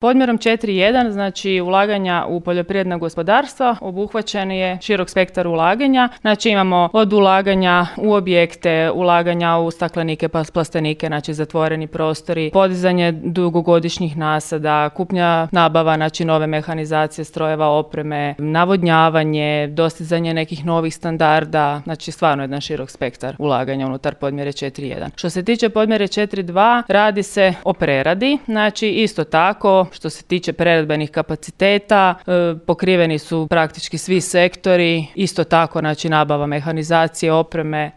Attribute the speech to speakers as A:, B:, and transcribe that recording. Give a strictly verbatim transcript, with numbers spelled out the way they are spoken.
A: Podmjerom četiri jedan, znači ulaganja u poljoprivredna gospodarstva, obuhvaćen je širok spektar ulaganja. Znači imamo od ulaganja u objekte, ulaganja u staklenike, plastenike, znači zatvoreni prostori, podizanje dugogodišnjih nasada, kupnja, nabava, znači nove mehanizacije, strojeva, opreme, navodnjavanje, dostizanje nekih novih standarda, znači stvarno jedan širok spektar ulaganja unutar podmjere četiri jedan. Što se tiče podmjere četiri dva, radi se o preradi, znači isto tako što se tiče preradbenih kapaciteta, e, pokriveni su praktički svi sektori, isto tako znači nabava mehanizacije, opreme,